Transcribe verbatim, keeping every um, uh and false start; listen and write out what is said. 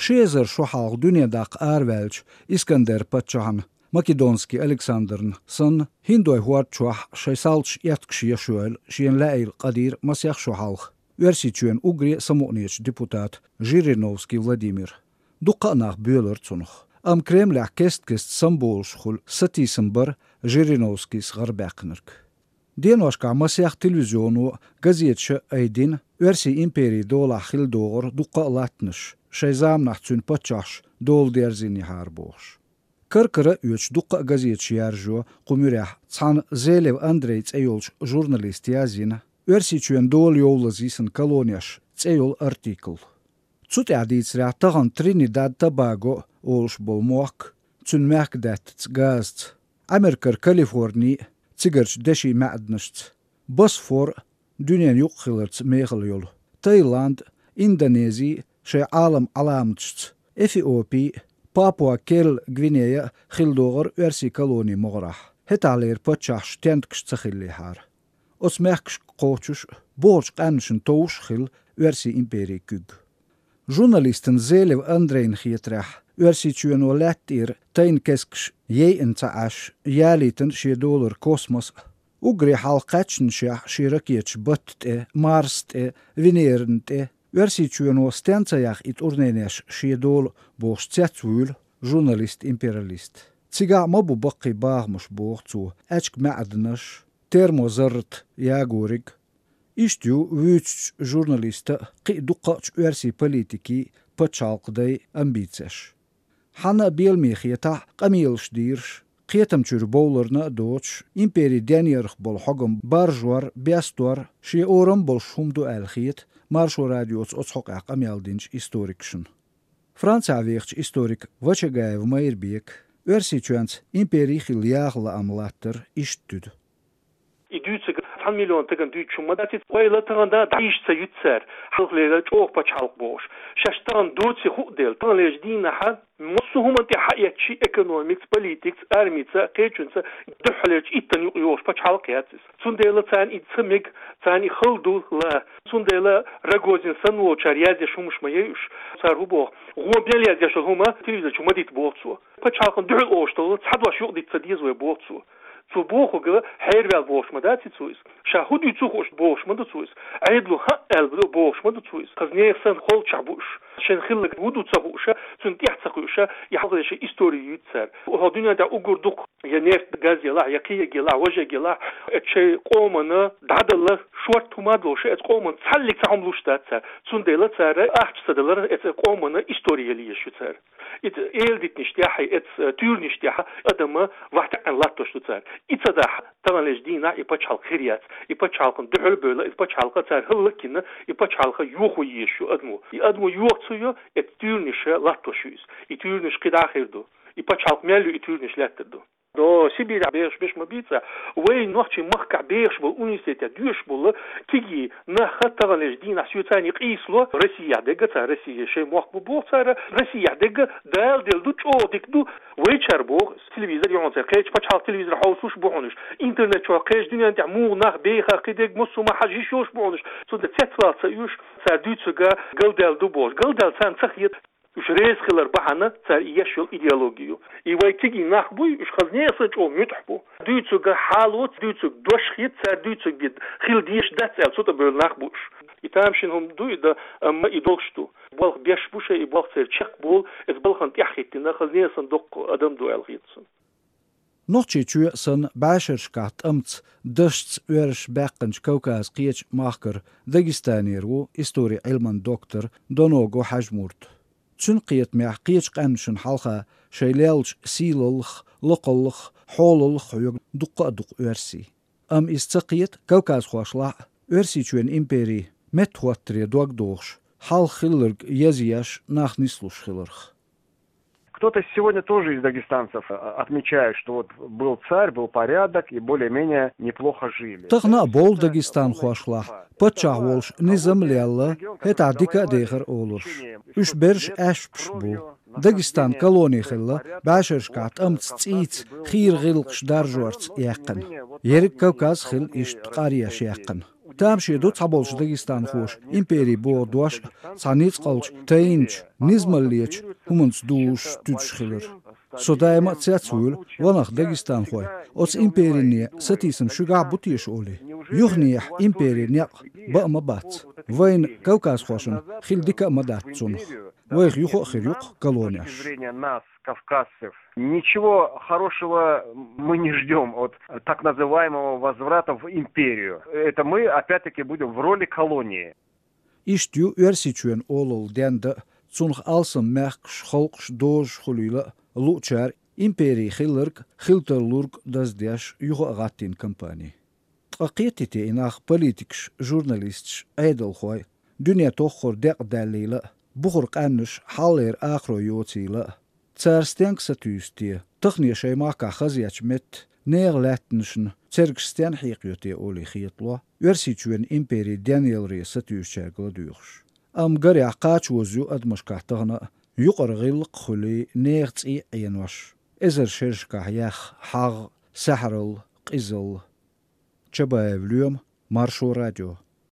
Ши эзар шо хьалха дуьне даккха араваьллачу Искандер-паччахьна, Македонский Александрна санна, хӀиндой хӀорда чохь шайн салташ эткаш еш йойла шена лаьийла къа дийра масех шо хьалха Оьрсийчоьнан уггаре а самукъанечу депутата Жириновский Владимира. Дуккха а нах боьлура цунах. Амма Кремлехь кест-кеста самаболуш хуьлу сатийсам бара Жириновскийс гӀарабаьккхинарг. Деношкахь масех телевизионо, газеташа айдина Оьрсийн империн долахь хилла догӀура дуккха а латтанаш, шайн заманахь цуьнан паччахьаш дола дерзийнехьара бохуш. Кар-кара а оьцуш дуккха а газеташ яржо кху муьрехь цхьана Зелев Андрей цӀе йолчу журналиста яздина «Оьрсийчоьнан дола йовлаза йисина колонеш» цӀе йолу артикл. Цу тӀехь дийцарехь, тахана Тринидад-Тобаго олуш болу мохк, цуьнан мехкадаьттаца газаца, Америкара Калифорни а, цигарчу дешин маьӀданашца, Босфор а, дуьненан юкъахиларца мехала йолу, Таиланд а, Индонези а шайн Ӏалам Ӏаламаташца, Эфиопи а, Папуа-Керл-Гвинея а хилла догӀура оьрсийн колонийн могӀарахь, хӀетахьлера паччахьаш тентакаш ца хиллехьара. Оцу мехкашка кхочуш а, бохурчу къаьмнашна товш а хилла Оьрсийн империн куьг. Журналистана Зелев Андрейна хетарехь, Оьрсийчоьно лаьтта тӀера тайна кескаш яйъина ца Ӏаш, ялийтина шен долара космос а, уггаре хьалха кхаьчнашехь шен ракеташ батта тӀе, Марса тӀе, Венерана тӀе, Оьрсийчоьно стенна ца яхна и тӀурненеш шен дола бохуш цецвуьйлу журналист-империалист. Цигахь а ма бу баккхий бахамаш, боху цо, аьчка маьӀданаш, термозаррат ягориг. Иштта ю вуьйцучу журналистан а, кхин а дуккхачу оьрсийн политикийн, пачхьалкхан дайн амбицеш. Хьанна а беламе хетахь а, къамелаш дийраш, кхетам чуьра бовларна а доцуш, империн денъярх болу хьогам баржор, бестор шен орам болуш хӀума ду аьлла хета Маршо радиоца оцу хьокъехь къамел динчу историкашна. Францехь вехачу историка Вачагаев Майрбека Оьрсийчоьнца импери хилла яха лаам латтар иштта туьду. И дуьйцург цхьана миллион стагана дуьйцуш хӀума ма дац иза, ойла тахана дӀа йиш ца юьту цара, хьалхалера чӀогӀа пачхьалкх бохуш. Шаьш тахана доций хуу дела, таханлерчу дийнахьа массо а хӀуманна тӀе хьаэцчи, экономикаца, политикаца, армица, кхечуьнца, дуьххьалерчу иттанна юкъа йогӀуш пачхьалкх яц иза. Цундела царна и ца мега, царна и хала ду ла. Цундела Рогозин санна волчара яздеш хӀумаш ма яй уьш. Цара хӀун боху, гӀо мел яздеш йолу хӀума телевизор чу ма дита, боху цо. Пачхьалкхана дуьхьал олуш долу цхьа дош юкъа дита ца деза вай, боху цо. Цо бохург хьерваьлла бохуш ма дац иза цо иза. Ша хӀун дуьйцу хууш бохуш ма ду цо иза. Ӏедало хӀаъ аьлла бохуш ма ду цо иза. Хаза нехан санна холчохь бу уьш. Шайн хилларг хӀун ду ца хууша, цунна тӀаьхьа ца кхуьуша, и хьалхалера шайн истори юьйцу цара. ХӀокху дуьнен тӀехь уггар дукха я нефть, газ елахь, я кхин ерг елахь, важа ерг елахь, оцу шайн къомана дӀадала шорта хӀума а долуш, оцу къомана цхьаллиг цхьа хӀума луш дац цара. Цундела цара ахча ца далара оцу къомана истори яла езаш ю цара. Иза эладитанаш тӀехь, иза, э, туьйранаш тӀехь адам вахтаьӀна латтош ду цара. И ца дахь, таханлерчу дийнахь и пачхьалкх хир яц. И пачхьалкхана дуьхьал а бевлла, и пачхьалкх цара хӀаллакйина, и пачхьалкх йохо езаш ю адамо. И адамо йоха ца йо, иза туьйранаш латтош ю иза. И туьйранаш кхидӀа а хир ду. И пачхьалкх мел ю, и туьйранаш лаьттар ду. До Сибирь бехаш беш ма бийца, вай нохчийн махкахь бехаш болу, университетехь доьшуш болу кегий нах таханлерчу дийнахь соьцани къийсало, Россияхь дегга цара, Россия шайн мохк бу боху цара, Россияхь дегга Дала делла ду, чӀогӀа дика ду, вайчара боху, телевизор йогӀун цара, кхечу пачхьалкх телевизор хьовсуш бу хьуна уьш, интернет чохь кхечу дуьнен тӀехь муха нах бехар кхидерг массо а ма хьажа йиш йолуш бу хьуна уьш, цундела цецвала ца оьшу, цара дуьйцург галдаьлла ду бохуш, галдаьлла царна ца хета. Уьш реза хилар бахьана цара и еш йолу идеологи ю. И вай кегий нах буй, уьш хаза нехан санна чӀогӀа муьтӀахь бу. Дуьйцург хьалоца, дуьйцург дош хета, цара дуьйцург бен хила дезаш дац аьлла, цу тӀе бевлла нах бу уьш. И тамашийна хӀума ду и дан, амма и долуш ду. Болх беш бу шайн, и болх церан чекхболу, иза балхана тӀаьхьахӀиттина, хаза нехан санна доккха адам ду аьлла хета суна. Нохчийчоь а санна, бӀешерашкахь тӀамца, дашца оьрсаша баьккхинчу Кавказан кхечу махкара Дагестанера ву историн Ӏилман доктор Доногов Хьаьжмурт. Цуьнан кхетамехь, кхечу къаьмнашна хьалха шайн леллачу сийлаллах, лакхаллах, хьолаллах хьоьгу дуккха а дукха оьрсий. Амма иза ца кхета, кавказхошлахь а Оьрсийчоьнан импери меттахӀоттаре дог дохуш, хьалха хилларг язъеш, нах нислуш хиларх. Кто-то сегодня тоже из дагестанцев, э, отмечает, что вот был царь, был порядок, и более-менее неплохо жили. Тахана а бовлу дагестанхошлахь, паччахь волуш низам а лелла, хӀетахь дика а дехара олуш. Уьш берриш аьшпаш бу. Дагестан колони хилла, бӀешерашкахь тӀамца, цӀийца хийра гӀиллакхаш даржорца яьккхина. Ерриг Кавказ хилла иштта къаръеш яьккхина. Тамашийна ду цхьаболчу дагестанхоша импери боху дош а, цхьа ницкъалчу, тайначу, низамаллечу хӀуманца дузуш, туьдуш хилар. Со даима а цецвуьйлу ванах дагестанхой, оцу империне сатийсам шуьгахь а бу теша олий. Юханехьа импери некъ баа ма бац. Вайна, кавказхошна, хила дика а ма дац цунах. Вайх юха а хир ю-кх колонеш. С точки зрения нас, кавказцев, ничего хорошего мы не ждём от так называемого возврата в империю. Это мы опять-таки будем в роли колонии. Иштта ю Оьрсийчоьнан олалла дендан а, цунах алсам мехкаш, халкъаш, дозаш хуьлийла а, луучара импери хилларг а, хила тарлург а даздеш юха а гӀаттийна кампани. Ткъа кхетий те и нах политикаш, журналисташ, Ӏедалхой, дуьне тоххара декъа даьллийла а, бухара къаьмнаш хьалхалера акхарой йоцийла а? Цара стенга сатуьйсу те, тахане шайн махкахь хазъечу метта нехан лаьттанашна цергаш стенна хьекхайо те олий хетало Оьрсийчоьнан импери денъяларе сатуьйсучаьрга ладоьгӀуш. Амма гарехь кхача ваза ю адамашкахь тахана а, юкъара гӀиллакх а хуьлий, нехан цӀий а Ӏенош, эзар шерашкахь яьхна хьагӀ, сахьралла, къизалла. Чабаев Лоьма, Маршо радио.